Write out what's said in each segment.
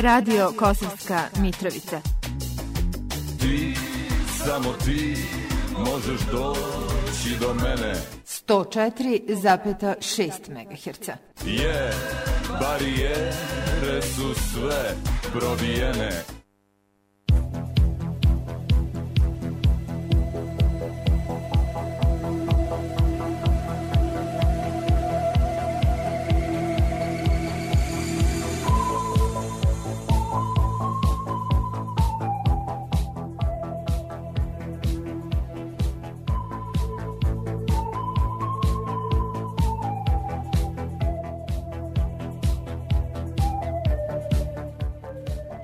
Radio Kosovska Mitrovica. Ti, samo ti, možeš doći do mene. 104,6 MHz. Barijere su sve probijene.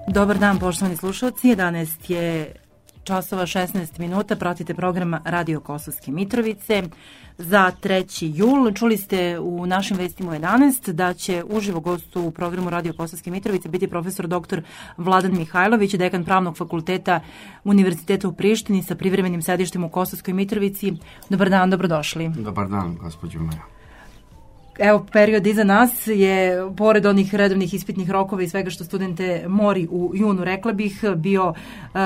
Dobar dan, poštovani slušalci. 11 je časova 16 minuta. Pratite program Radio Kosovske Mitrovice za 3. jul. Čuli ste u našim vestima u 11 da će uživo gost u programu Radio Kosovske Mitrovice biti profesor dr. Vladan Mihajlović, dekan Pravnog fakulteta Univerziteta u Prištini sa privremenim sedištem u Kosovskoj Mitrovici. Dobar dan, dobrodošli. Dobar dan, gospođo Maja. Evo, period iza nas je, pored onih redovnih ispitnih rokova i svega što studente mori u junu, rekla bih, bio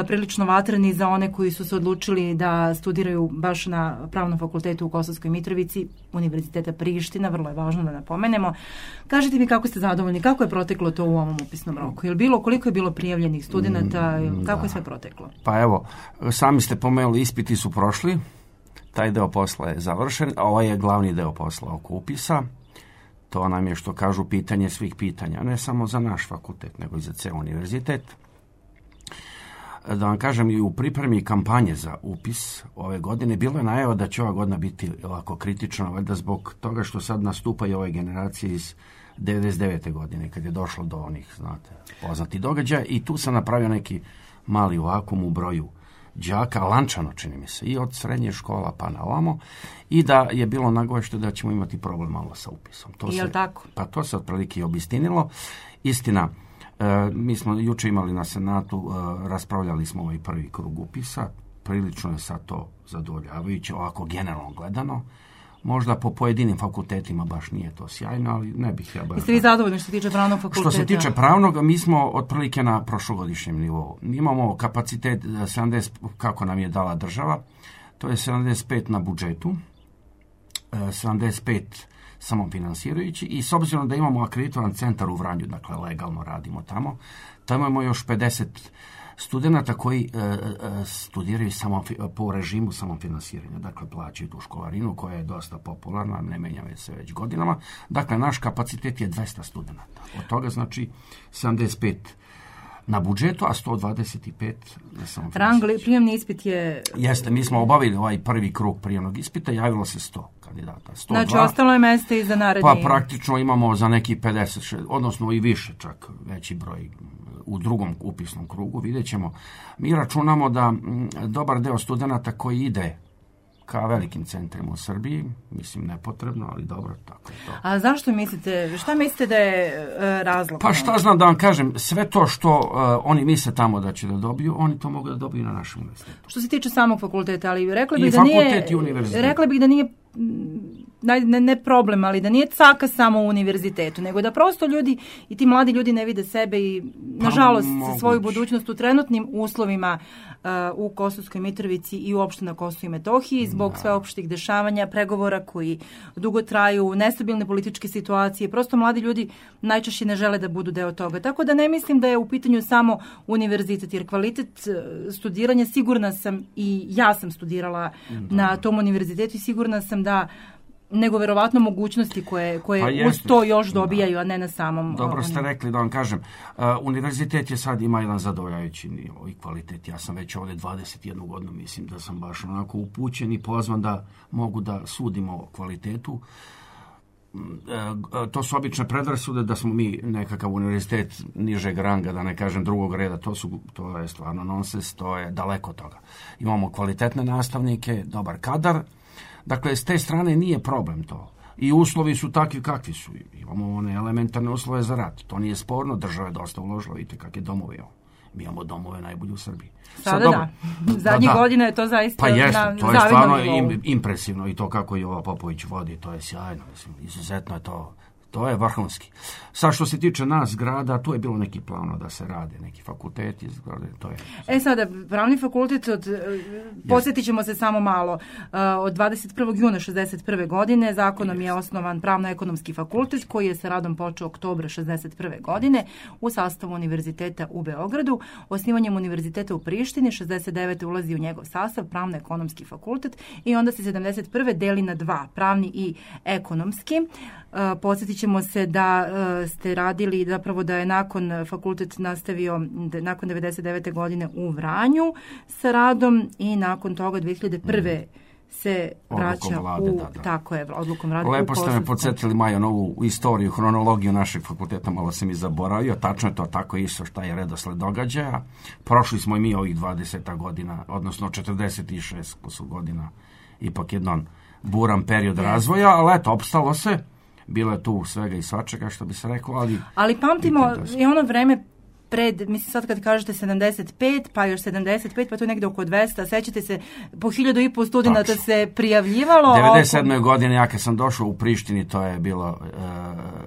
prilično vatreni za one koji su se odlučili da studiraju baš na Pravnom fakultetu u Kosovskoj Mitrovici, Univerziteta Priština, vrlo je važno da napomenemo. Kažite mi kako ste zadovoljni, kako je proteklo to u ovom upisnom roku? Koliko je bilo prijavljenih studenta, kako je sve proteklo? Pa evo, sami ste pomenuli, ispiti su prošli, taj deo posla je završen, a ovaj je glavni deo posla oko upisa. To nam je, što kažu, pitanje svih pitanja, ne samo za naš fakultet, nego i za ceo univerzitet. Da vam kažem, i u pripremi kampanje za upis ove godine bilo je najava da će ova godina biti ovako kritična, valjda zbog toga što sad nastupaju ove generacije iz 99. godine, kad je došlo do onih, znate, poznatih događaja, i tu sam napravio neki mali vakum u broju đaka, lančano čini mi se, i od srednje škola pa na ovamo, i da je bilo nagovešto da ćemo imati problem malo sa upisom. Tako? Pa to se otprilike i obistinilo. Istina, mi smo juče imali na Senatu, raspravljali smo ovaj prvi krug upisa, prilično je sad to zadovoljavajuće, ovako generalno gledano. Možda po pojedinim fakultetima baš nije to sjajno, ali ne bih ja baš... Jeste vi zadovoljni što se tiče pravnog fakulteta? Što se tiče pravnog, mi smo otprilike na prošlogodišnjem nivou. Imamo kapacitet 70, kako nam je dala država, to je 75 na budžetu, 75 samofinansirajući, i s obzirom da imamo akreditovan centar u Vranju, dakle legalno radimo tamo imamo još 50 studenata koji studiraju samo po režimu samofinansiranja, dakle plaćaju tu školarinu koja je dosta popularna, ne menja se već godinama. Dakle, naš kapacitet je 200 studenata. Od toga znači 75 na budžetu, a 125 na samofinansiranje. Prijemni ispit je... Jeste, mi smo obavili ovaj prvi krug prijemnog ispita, javilo se 100 kandidata. 102. Znači, ostalo je mesta i za naredni... Pa praktično imamo za neki 50, odnosno i više čak, veći broj u drugom upisnom krugu, vidjet ćemo. Mi računamo da dobar deo studenata koji ide ka velikim centrima u Srbiji, mislim nepotrebno, ali dobro, tako je to. A zašto mislite, šta mislite da je razlog? Pa šta znam da vam kažem, sve to što oni misle tamo da će da dobiju, oni to mogu da dobiju na našem univerzitetu. Što se tiče samog fakulteta, ali rekla bih da nije ne problem, ali da nije caka samo u univerzitetu, nego da prosto ljudi i ti mladi ljudi ne vide sebe i, nažalost, svoju budućnost u trenutnim uslovima u Kosovskoj Mitrovici i uopšte na Kosovu i Metohiji zbog sveopštih dešavanja, pregovora koji dugo traju, nestabilne političke situacije. Prosto mladi ljudi najčešće ne žele da budu deo toga. Tako da ne mislim da je u pitanju samo univerzitet, jer kvalitet studiranja, sigurna sam, i ja sam studirala na tom univerzitetu i sigurna sam da nego verovatno mogućnosti koje uz to još dobijaju, a ne na samom... Dobro ste rekli, da vam kažem. Univerzitet je sad ima jedan zadovoljavajući nivo i kvalitet. Ja sam već ovdje 21 godinu, mislim da sam baš onako upućen i pozvan da mogu da sudimo o kvalitetu. To su obične predrasude da smo mi nekakav univerzitet nižeg ranga, da ne kažem drugog reda, to je stvarno nonsens, to je daleko od toga. Imamo kvalitetne nastavnike, dobar kadar. Dakle, s te strane nije problem to. I uslovi su takvi kakvi su. Imamo one elementarne uslove za rad. To nije sporno, država je dosta uložila, vidite kakve domove imamo. Mi imamo domove najbolji u Srbiji. Sada zadnjih godina je to zaista... Pa jeste, to je stvarno impresivno i to kako Jovo Popović vodi, to je sjajno. Mislim, izuzetno je to To je vrhunski. Sad što se tiče nas grada, tu je bilo neki plano da se rade, neki fakulteti, to je. Sada, pravni fakultet, podsjetit ćemo se samo malo, od 21. juna 61. godine zakonom je osnovan Pravno-ekonomski fakultet koji je sa radom počeo oktobra 61. godine u sastavu Univerziteta u Beogradu. Osnivanjem Univerziteta u Prištini 69. ulazi u njegov sastav Pravno-ekonomski fakultet i onda se 71. deli na dva, pravni i ekonomski. Podsjetit ćemo se da ste radili, zapravo da je nakon fakultet nastavio nakon 99. godine u Vranju sa radom i nakon toga 2001. se vraća tako je, odlukom vlade. Lepo ste me podsjetili, Maja, novu istoriju, hronologiju našeg fakulteta, malo sam i zaboravio, tačno je to tako isto šta je redosled događaja. Prošli smo i mi ovih 20 godina, odnosno 46 godina, ipak jedan buran period razvoja, ali eto, opstalo se. Bilo je tu svega i svačega, što bi se reklo, ali pamtimo i ono vreme pred, mislim sad kad kažete 75, pa još 75, pa tu negde oko 200, sećate se, po 1.500 studenata se prijavljivalo. 97. godine, ja kad sam došao u Prištini, to je bilo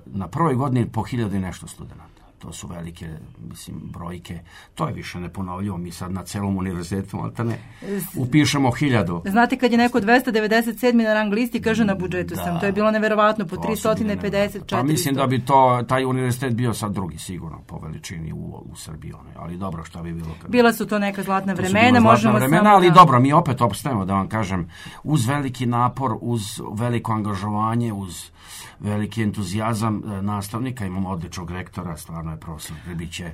na prvoj godini po 1.000 i nešto studenata. To su velike, mislim, brojke. To je više neponovljivo. Mi sad na celom univerzitetu upišemo 1000. Znate, kad je neko 297. na rang listi, kaže na budžetu sam. To je bilo neverovatno, po 350, 400. Pa mislim da bi taj univerzitet bio sad drugi, sigurno, po veličini u Srbiji. Ali dobro, šta bi bilo? Bila su to neka zlatna vremena. Možemo vremena, ali dobro, mi opet opstajemo, da vam kažem, uz veliki napor, uz veliko angažovanje, uz veliki entuzijazam nastavnika, imamo odličnog rektora, stvarno je profesor Grbiće.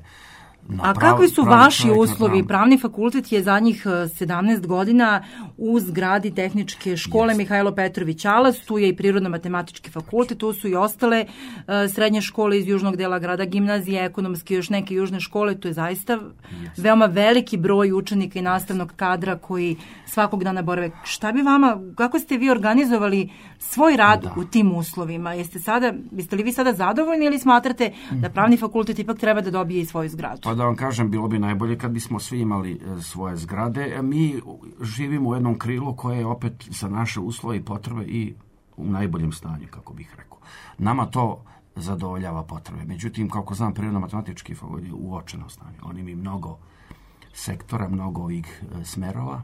A kakvi su vaši uslovi? Pravni fakultet je zadnjih 17 godina u zgradi tehničke škole Mihajlo Petrović Alas, tu je i prirodno-matematički fakultet, tu su i ostale srednje škole iz južnog dela grada, gimnazije, ekonomske, još neke južne škole, to je zaista veoma veliki broj učenika i nastavnog kadra koji svakog dana borave. Šta bi vama, kako ste vi organizovali svoj rad u tim uslovima? Jeste li vi sada zadovoljni ili smatrate da pravni fakultet ipak treba da dobije i svoju zgradu? Pa da vam kažem, bilo bi najbolje kad bismo svi imali svoje zgrade. Mi živimo u jednom krilu koje je opet za naše uslove i potrebe i u najboljem stanju, kako bih rekao. Nama to zadovoljava potrebe. Međutim, kako znam, prirodno-matematički fakultet je u uočenom stanju. Oni imaju mnogo sektora, mnogo ovih smerova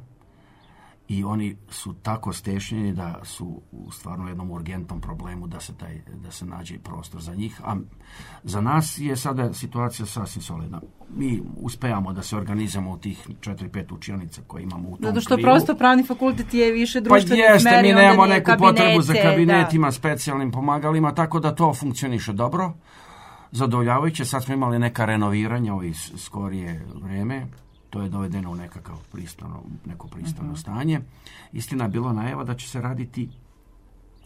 i oni su tako stešnjeni da su u stvarno jednom urgentnom problemu da se nađe prostor za njih. A za nas je sada situacija sasvim solidna. Mi uspejamo da se organizujemo u tih 4-5 učionica koje imamo u tom krilu. Zato što prosto pravni fakultet je više društveni smer. Pa mi nemamo neku potrebu za kabinetima, specijalnim pomagalima, tako da to funkcioniše dobro, zadovoljavajuće. Sad smo imali neka renoviranja u skorije vreme. To je dovedeno u neko pristojno stanje. Istina je bilo najava da će se raditi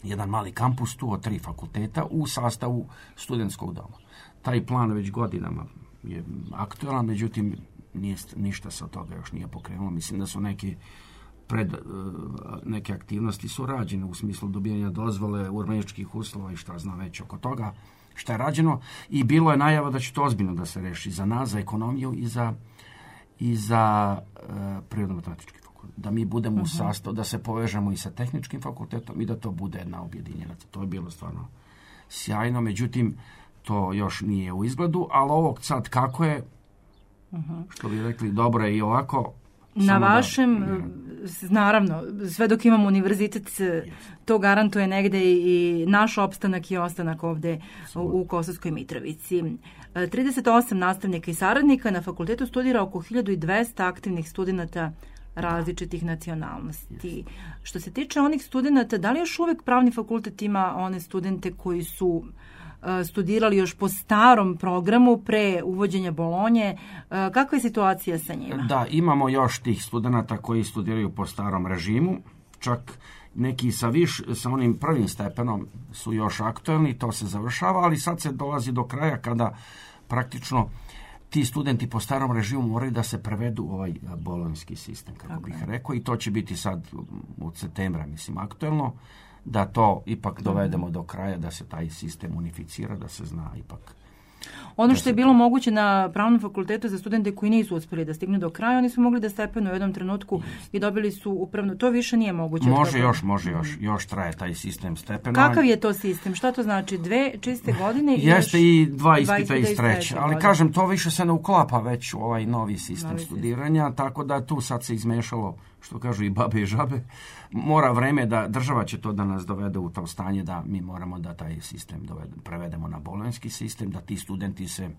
jedan mali kampus tu od 3 fakulteta u sastavu studentskog doma. Taj plan već godinama je aktualan, međutim ništa se od toga još nije pokrenulo. Mislim da su neke aktivnosti su rađene u smislu dobijanja dozvole, urbanističkih uslova i šta znam već oko toga šta je rađeno. I bilo je najava da će to ozbiljno da se reši za nas, za ekonomiju i za prirodno-matematički fakultet. Da mi budemo u sastavu, da se povežemo i sa tehničkim fakultetom i da to bude jedna objedinjena. To je bilo stvarno sjajno, međutim, to još nije u izgledu, ali ovog sad kako je, što bi rekli, dobro je i ovako. Na vašem, naravno, sve dok imamo univerzitet, to garantuje negde i naš opstanak i ostanak ovde u Kosovskoj Mitrovici. 38 nastavnika i saradnika, na fakultetu studira oko 1200 aktivnih studenata različitih nacionalnosti. Što se tiče onih studenata, da li još uvek pravni fakultet ima one studente koji su studirali još po starom programu pre uvođenja Bolonje? Kakva je situacija sa njima? Da, imamo još tih studenata koji studiraju po starom režimu, čak neki sa onim prvim stepenom su još aktuelni, to se završava, ali sad se dolazi do kraja kada praktično ti studenti po starom režimu moraju da se prevedu u ovaj bolonjski sistem, kako bih rekao, i to će biti sad od septembra, mislim, aktuelno, da to ipak dovedemo do kraja, da se taj sistem unificira, da se zna ipak. Ono što je bilo moguće na Pravnom fakultetu za studente koji nisu uspjeli da stignu do kraja, oni su mogli da stepenu u jednom trenutku i dobili su upravno. To više nije moguće. Može još traje taj sistem stepenovanja. Kakav je to sistem? Šta to znači? 2 čiste godine? Jeste i 2 ispita iz treće. Ali kažem, to više se ne uklapa već u ovaj novi sistem studiranja, tako da tu sad se izmešalo, što kažu i babe i žabe. Mora vreme da država će to da nas dovede u to stanje da mi moramo da taj sistem prevedemo na bolonjski sistem, da ti studenti se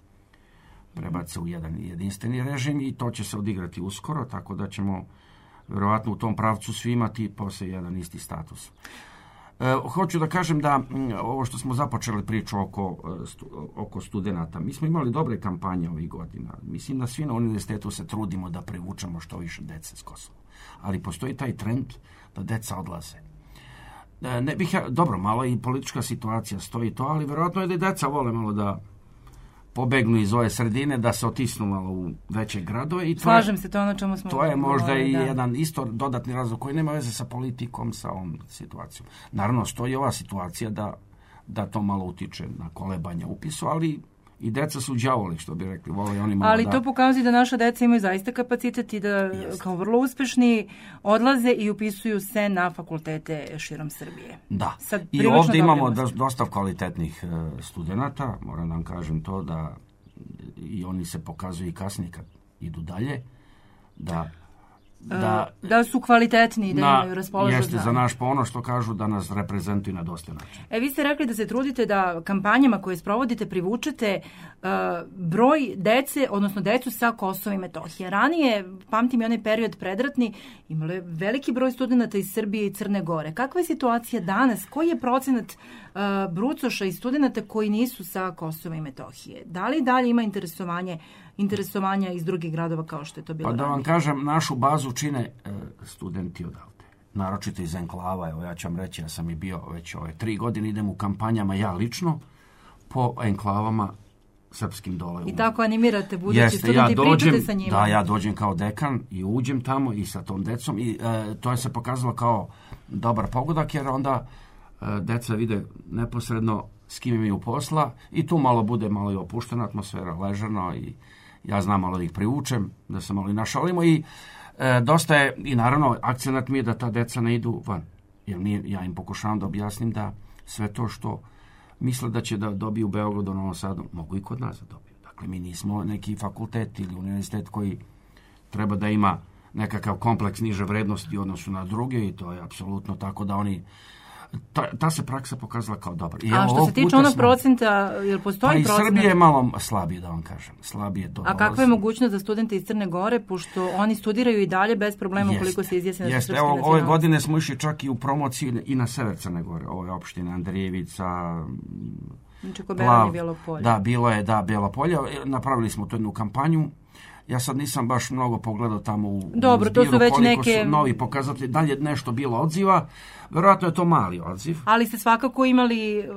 prebace u jedan jedinstveni režim i to će se odigrati uskoro, tako da ćemo vjerovatno u tom pravcu svi imati poslije jedan isti status. Hoću da kažem da ovo što smo započeli priču oko studenata, mi smo imali dobre kampanje ovih godina. Mislim da svi na univerzitetu se trudimo da privučemo što više dece s Kosova. Ali postoji taj trend da deca odlaze. Dobro, malo i politička situacija stoji to, ali vjerojatno je da i deca vole malo da pobegnu iz ove sredine, da se otisnu malo u veće gradove. Slažem se, to je ono čemu smo... To je možda i jedan isto dodatni razlog koji nema veze sa politikom, sa ovom situacijom. Naravno, stoji ova situacija da to malo utiče na kolebanje upisu, ali i deca su đavoli, što bi rekli. Vole oni malo. Ali to pokazuje da naša deca imaju zaista kapacitet i da kao vrlo uspešni odlaze i upisuju se na fakultete širom Srbije. Da. I ovdje imamo dosta kvalitetnih studenata, moram da vam kažem to, da i oni se pokazuju i kasnije kad idu dalje, da su kvalitetni, da imaju raspoložen. Jeste za naš ponos, što kažu da nas reprezentuju na dosta način. Vi ste rekli da se trudite da kampanjama koje sprovodite privučete broj dece, odnosno decu sa Kosova i Metohije. Ranije, pamtim i onaj period predratni, imali veliki broj studenta iz Srbije i Crne Gore. Kakva je situacija danas? Koji je procenat brucoša i studenta koji nisu sa Kosova i Metohije? Da li dalje ima interesovanja iz drugih gradova kao što je to bilo ranije? Pa da vam kažem, našu bazu čine studenti odavde. Naročito iz enklava. Evo ja ću vam reći, ja sam i bio već 3 godine, idem u kampanjama ja lično po enklavama srpskim dole. I tako animirate budući studenti i pričate sa njima. Da, ja dođem kao dekan i uđem tamo i sa tom decom i to je se pokazalo kao dobar pogodak, jer onda deca vide neposredno s kim imaju posla i tu malo bude malo i opuštena atmosfera, ležano i ja znam malo da ih privučem, da se malo i našalimo i dosta je, i naravno akcenat mi je da ta deca ne idu van, jer ja im pokušavam da objasnim da sve to što misle da će da dobiju u Beogradu, Novom Sadu, mogu i kod nas da dobiju. Dakle, mi nismo neki fakultet ili univerzitet koji treba da ima nekakav kompleks niže vrednosti u odnosu na druge i to je apsolutno tako da oni ta se praksa pokazala kao dobar. A što se tiče onog procenta, jel postoji procent? Pa i Srbije je malo slabije, da vam kažem. Slabije to. A kakva je mogućnost za studente iz Crne Gore, pošto oni studiraju i dalje bez problema ukoliko se izjasne da su srpske nacionalnosti? Ove godine smo išli čak i u promociju i na sever Crne Gore. Ovo je opština Andrijevica, Čikoberanje, Bijelo polje. Da, bilo je, Bijelo polje. Napravili smo tu jednu kampanju. Ja sad nisam baš mnogo pogledao tamo u Dobro, to su već neke novi pokazatelji. Da li je nešto bilo odziva? Verovatno je to mali odziv. Ali ste svakako imali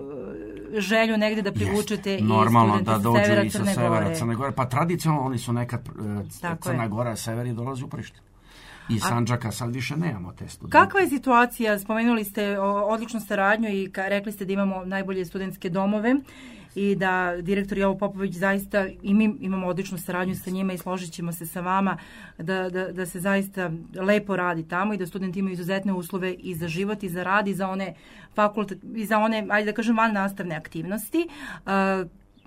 želju negde da privučete i normalno studente da dođu severa i sa severa Crne Gore. Pa tradicionalno oni su nekad Crna Gora, sever i dolazi u Prištinu. I Sandžaka sad više nemamo te studente. Kakva je situacija? Spomenuli ste odličnu saradnju i rekli ste da imamo najbolje studentske domove i da direktor Jovo Popović zaista, i mi imamo odličnu saradnju sa njima i složit ćemo se sa vama da se zaista lepo radi tamo i da studenti imaju izuzetne uslove i za život i za rad i za one i za one, ajde da kažem, van nastavne aktivnosti.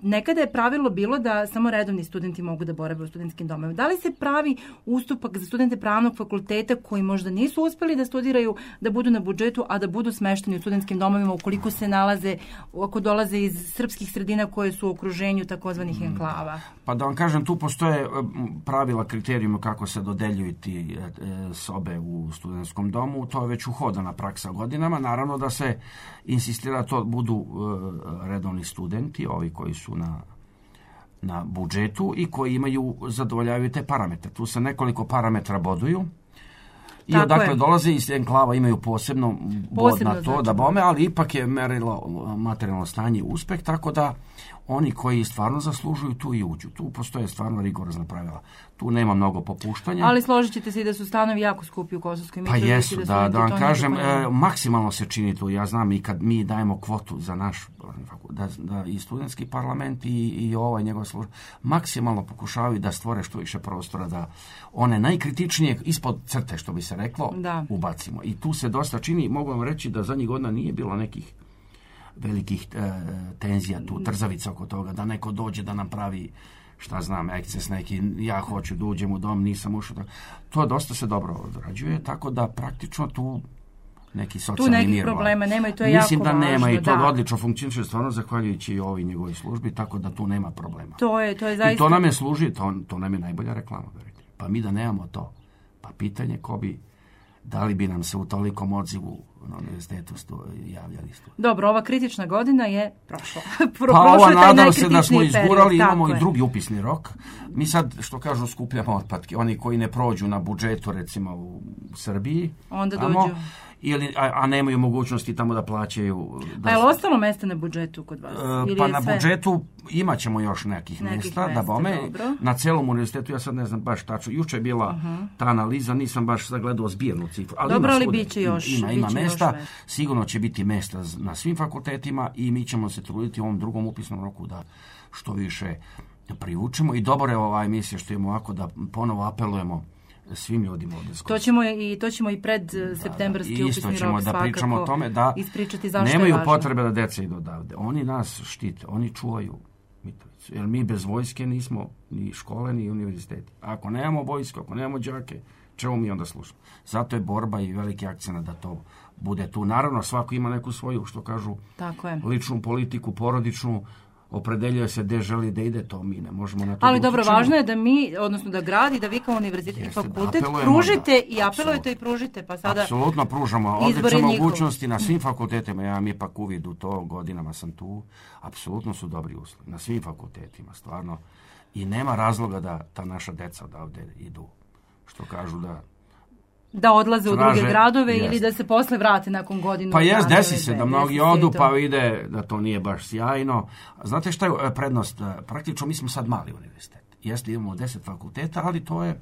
Nekada je pravilo bilo da samo redovni studenti mogu da borave u studentskim domovima. Da li se pravi ustupak za studente pravnog fakulteta koji možda nisu uspeli da studiraju, da budu na budžetu, a da budu smešteni u studentskim domovima ukoliko se nalaze, ako dolaze iz srpskih sredina koje su u okruženju takozvanih enklava? Pa da vam kažem, tu postoje pravila, kriterijuma kako se dodeljuju ti sobe u studentskom domu. To je već uhodana praksa godinama. Naravno da se insistira to budu redovni studenti, ovi koji su na budžetu i koji zadovoljavaju te parametre. Tu se nekoliko parametra boduju I odakle dolaze iz enklava imaju posebno bod na to, znači, da bome, ali ipak je merilo materijalno stanje uspeh, tako da oni koji stvarno zaslužuju tu i uđu. Tu postoje stvarno rigorozna pravila. Tu nema mnogo popuštanja. Ali složit ćete se i da su stanovi jako skupi u Kosovskoj Mitrovici. Pa jesu, da vam kažem, maksimalno se čini tu. Ja znam i kad mi dajemo kvotu za naš, da i studentski parlament i ovaj njegov služba, maksimalno pokušavaju da stvore što više prostora, da one najkritičnije ispod crte, što bi se reklo, ubacimo. I tu se dosta čini. Mogu vam reći da zadnjih godina nije bilo nekih velikih tenzija tu, trzavica oko toga, da neko dođe da nam pravi, šta znam, eksces neki, ja hoću da uđem u dom, nisam ušao. To dosta se dobro odrađuje, tako da praktično tu neki socijalni mir. Tu nekih problema nema i to je jako važno. Mislim da nema i to odlično funkcioniše, stvarno zahvaljujući i ovoj njegovoj službi, tako da tu nema problema. To je zaista... I to nam je služi, to nam je najbolja reklama. Pa mi da nemamo to, pa pitanje ko bi, da li bi nam se u tolikom odzivu na univerzitetu javljali studenti. Dobro, ova kritična godina je prošla. Pa ova nadam se da smo izgurali, imamo i drugi upisni rok. Mi sad, što kažu, skupljamo otpadke. Oni koji ne prođu na budžetu, recimo u Srbiji, onda dođu. A nemaju mogućnosti tamo da plaćaju. A je li ostalo mesta na budžetu kod vas? Pa na budžetu imat ćemo još nekih mesta, da bome. Na celom univerzitetu, ja sad ne znam baš tačno. Juče je bila ta analiza, nisam baš zagledao zbirnu cifru. Dobro, ali bit će još. Ima mesta, sigurno će biti mesta na svim fakultetima i mi ćemo se truditi u ovom drugom upisnom roku da što više privučemo. I dobro je ova emisija što imamo ovako da ponovo apelujemo svim ljudima ovdje. To ćemo i pred septembarski upisni rok svakako da pričamo o tome da ispričati zašto nemaju je važno. Potrebe da deca idu odavde. Oni nas štite, oni čuvaju Mitrovicu. Jer mi bez vojske nismo ni škole, ni univerziteti. Ako nemamo vojsku, ako nemamo đake, čemu mi onda slušamo? Zato je borba i veliki akcent da to bude tu. Naravno, svako ima neku svoju, što kažu, ličnu politiku, porodičnu, opredeljuje se gde želi da ide, to mi ne možemo na to. Ali dobro, važno je da mi, odnosno da grad i da vi kao univerzitet i fakultet pružite i apelujete i pružite, pa sada apsolutno pružamo odlične mogućnosti na svim fakultetima. Ja mi ipak uvid u to, godinama sam tu, apsolutno su dobri uslovi na svim fakultetima, stvarno, i nema razloga da ta naša deca odavde idu, što kažu da odlaze u druge gradove ili da se posle vrate nakon godinu. Pa desi se da mnogi odu pa vide da to nije baš sjajno. Znate šta je prednost? Praktično mi smo sad mali univerzitet. Jeste, imamo 10 fakulteta, ali to je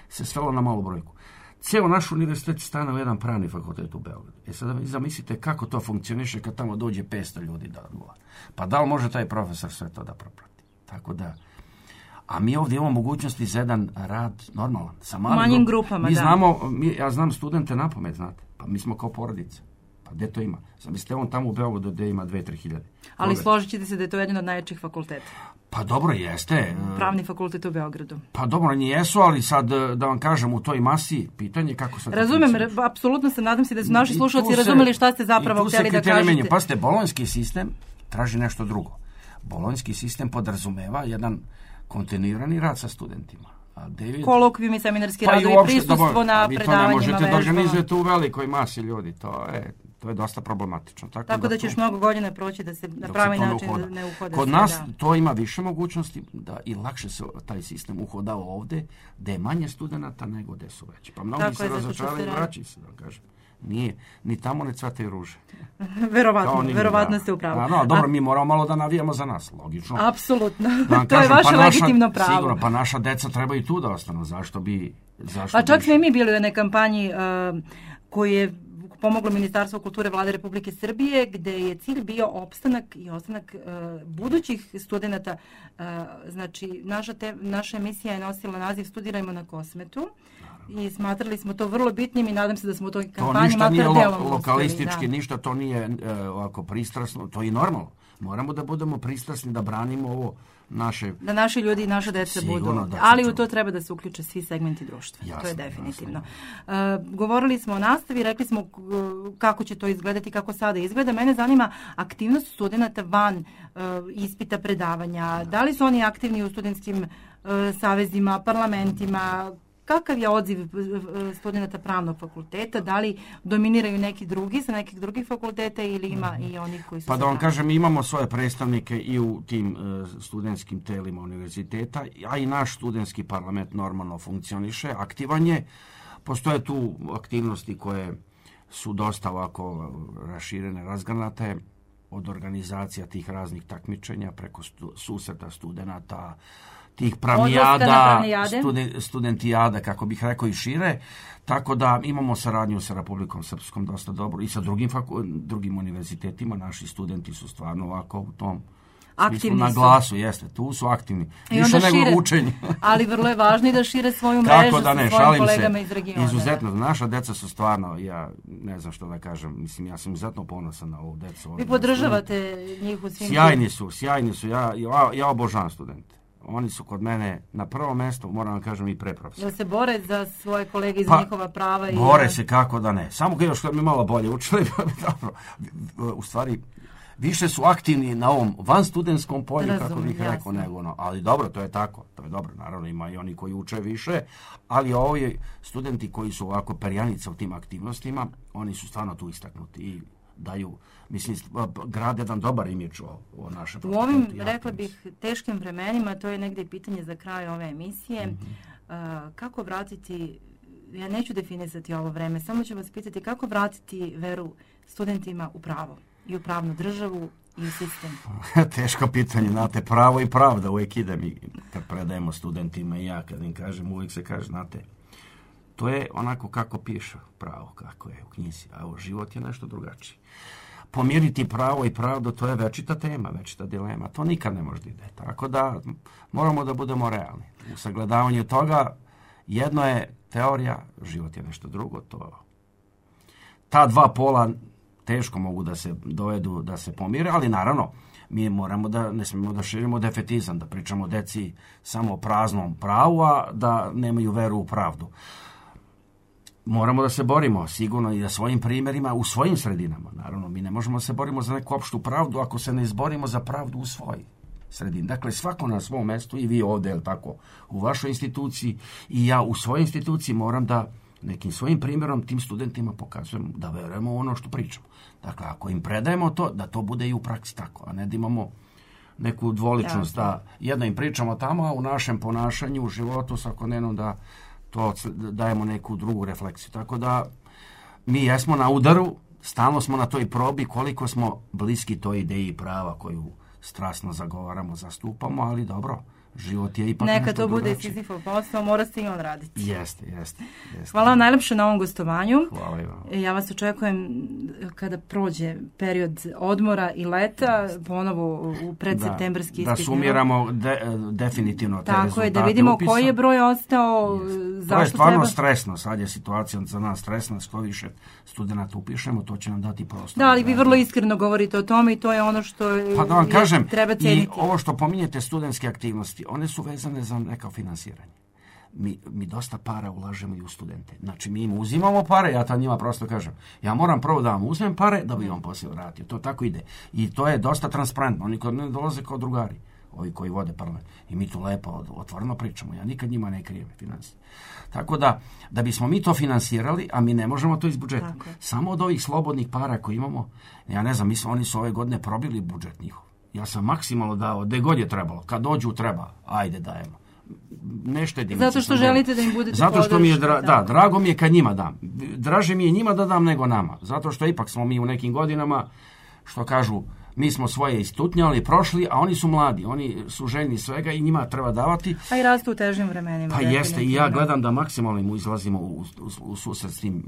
se svelo na malu brojku. Cijelo naš univerzitet stane u jedan pravni fakultet u Beogradu. Sad zamislite kako to funkcioniše kad tamo dođe 500 ljudi da odgovara. Pa da li može taj profesor sve to da proprati? Tako da... A mi ovdje imamo mogućnosti za jedan rad normalan, sa manjim grupama. Ja znam studente napamet, znate. Pa mi smo kao porodica. Pa gdje to ima? Zamislite, on tamo u Beogradu gdje ima 2-3 hiljade. Ali složit ćete se da je to jedan od najjačih fakulteta. Pa dobro, jeste. Pravni fakultet u Beogradu. Pa dobro, oni jesu, ali sad da vam kažem u toj masi pitanje kako se... Razumem, apsolutno se nadam se da su naši slušalci razumeli šta ste zapravo htjeli da kažete. Pa ste, bolonjski sistem traži nešto drugo. Bolonjski sistem podrazumeva jedan kontinuirani rad sa studentima. Kolokvijumi, seminarski radovi, prisustvo na predavanjima, vežbama. Vi to ne možete da organizujete u velikoj masi ljudi. To je dosta problematično. Tako da će još mnogo godina proći da se na pravi način ne uhode. Kod nas to ima više mogućnosti da i lakše se taj sistem uhoda ovde, gde je manje studenata nego gde su veći. Pa mnogi se razočarali i vraćaju se, da kažem. Nije, ni tamo ne cvataju ruže. Verovatno ste u pravu. Dobro, mi moramo malo da navijamo za nas, logično. Apsolutno, to je vaše legitimno pravo. Sigurno, pa naša deca trebaju tu da ostanu, zašto bi... Pa čak smo i mi bili u jednoj kampanji koju je pomoglo Ministarstvo kulture Vlade Republike Srbije, gde je cilj bio opstanak i ostanak budućih studenata. Znači, naša emisija je nosila naziv Studirajmo na Kosmetu. I smatrali smo to vrlo bitnim i nadam se da smo u toj kampanji makar delom uspeli. To ništa nije lokalistički, ništa to nije ovako pristrasno, to je normalno. Moramo da budemo pristrasni, da branimo ovo naše... Da naši ljudi i naše dece budu. Ali u to treba da se uključe svi segmenti društva. Jasno, to je definitivno. Govorili smo o nastavi, rekli smo kako će to izgledati, kako sada izgleda. Mene zanima aktivnost studenta van ispita predavanja. Da li su oni aktivni u studentskim savezima, parlamentima? Kakav je odziv studenta pravnog fakulteta? Da li dominiraju neki drugi sa nekih drugih fakulteta ili ima i onih koji su... Pa da vam kažem, imamo svoje predstavnike i u tim studentskim telima univerziteta, a i naš studentski parlament normalno funkcioniše, aktivan je. Postoje tu aktivnosti koje su dosta ovako raširene, razgranate, od organizacija tih raznih takmičenja preko susreta studenata, tih pramijada, studentijada, kako bih rekao, i šire. Tako da imamo saradnju sa Republikom Srpskom dosta dobro i sa drugim univerzitetima. Naši studenti su stvarno ovako u tom smislu na glasu, jeste, tu su aktivni. Više nego učenje. Ali vrlo je važno i da šire svoju mrežu sa svojim kolegama iz regiona. Izuzetno, naša deca su stvarno, ja ne znam što da kažem, mislim, ja sam izuzetno ponosan na ovu decu. Vi podržavate njih u svim... Sjajni su, ja obožavam studente. Oni su kod mene na prvom mjestu, moram vam kažem, i preprofesor. Jel se bore za svoje kolege i za njihova prava? Bore se, kako da ne. Samo još što mi malo bolje učili, u stvari, više su aktivni na ovom vanstudentskom polju, kako bih rekao, nego ali dobro, to je tako, to je dobro, naravno ima i oni koji uče više, ali ovi studenti koji su ovako perjanica u tim aktivnostima, oni su stvarno tu istaknuti i daju, mislim, grade jedan dobar imidž o našem fakultetu. U ovim, rekla bih, teškim vremenima, to je negdje pitanje za kraj ove emisije, kako vratiti, ja neću definisati ovo vreme, samo ću vas pitati kako vratiti veru studentima u pravo i u pravnu državu i u sistem? Teško pitanje, znate, pravo i pravda uvijek ide mi kad predajemo studentima i ja kad im kažem, uvijek se kaže, znate, to je onako kako piše pravo, kako je u knjizi, a u život je nešto drugačije. Pomiriti pravo i pravdu, to je večita tema, večita dilema, to nikad ne može da ide. Tako da moramo da budemo realni. U sagledavanju toga jedno je teorija, život je nešto drugo, ta dva pola teško mogu da se dovedu, da se pomire, ali naravno mi moramo da, ne smijemo da širimo defetizam, da pričamo deci samo o praznom pravu, a da nemaju veru u pravdu. Moramo da se borimo sigurno i da svojim primjerima u svojim sredinama. Naravno, mi ne možemo se borimo za neku opštu pravdu ako se ne izborimo za pravdu u svojoj sredini. Dakle, svako na svom mjestu, i vi ovdje, jel tako, u vašoj instituciji i ja u svojoj instituciji moram da nekim svojim primjerom tim studentima pokazujem da verujemo u ono što pričamo. Dakle, ako im predajemo to, da to bude i u praksi tako, a ne da imamo neku dvoličnost, da jedno im pričamo tamo, a u našem ponašanju, u životu svakodnevnom da to dajemo neku drugu refleksiju. Tako da mi jesmo na udaru, stalno smo na toj probi koliko smo bliski toj ideji prava koju strasno zagovaramo, zastupamo, ali dobro, život je ipak neka to bude Sizifov posao, mora se i on raditi. Jeste. Hvala vam najlepše na ovom gostovanju. Hvala i vam. Ja vas očekujem kada prođe period odmora i leta, ponovo u predseptembarski ispit. Da sumiramo definitivno te rezultate. Tako je, da vidimo upisa. Koji je broj ostao, zašto to je stvarno stresno, sad je situacija za nas stresna, što više studenata upišemo, to će nam dati prostor. Da, ali vi vrlo iskreno govorite o tome i to je ono što treba cijeniti. I ovo što pominjete studentske aktivnosti, one su vezane za neko finansiranje. Mi dosta para ulažemo i u studente. Znači, mi im uzimamo pare, ja to njima prosto kažem. Ja moram prvo da vam uzmem pare, da bi vam poslije vratio. To tako ide. I to je dosta transparentno. Oni kod mene dolaze kao drugari, ovi koji vode parlament. I mi tu lepo, otvoreno pričamo. Ja nikad njima ne krijem financije. Tako da bismo mi to finansirali, a mi ne možemo to iz budžeta. Samo od ovih slobodnih para koje imamo, ja ne znam, oni su ove godine probili budžet njihov. Ja sam maksimalno dao, gde god je trebalo. Kad dođu treba, ajde dajemo. Ne štedim. Zato što želite da im budete zato što mi je drago mi je kad njima dam. Draže mi je njima da dam nego nama. Zato što ipak smo mi u nekim godinama, što kažu, mi smo svoje istutnjali, prošli, a oni su mladi. Oni su željni svega i njima treba davati. A i rastu u težim vremenima. Pa jeste, i ja gledam da maksimalno im izlazimo u susret s tim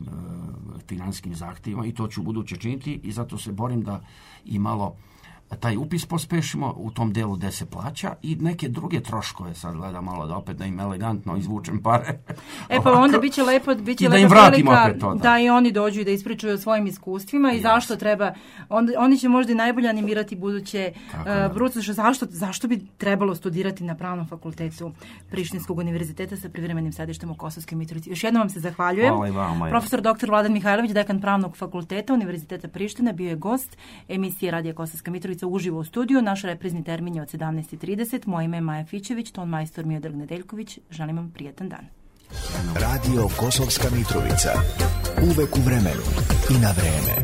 finansijskim zahtjevima i to ću buduće činiti i zato se borim da i malo taj upis pospešimo u tom delu gde se plaća i neke druge troškove, sad gledam malo da opet da im elegantno izvučem pare. Pa onda biće lepo da im vratimo opet to. Da i oni dođu i da ispričaju o svojim iskustvima i zašto treba, oni će možda i najbolje animirati buduće brucoše, zašto bi trebalo studirati na Pravnom fakultetu Prištinskog univerziteta sa privremenim sedištem u Kosovskoj Mitrovici. Još jednom vam se zahvaljujem. Profesor dr. Vladan Mihajlović, dekan Pravnog fakulteta Univerziteta Priština, bio je gost emisije Radija Kosovska Mitrovica uživo u studiju. Naš reprizni termin je od 17:30. Moje ime je Maja Fićević, ton majstor Miodrag Nedeljković. Želim vam prijatan dan. Radio Kosovska Mitrovica. Uvek u vremenu i na vreme.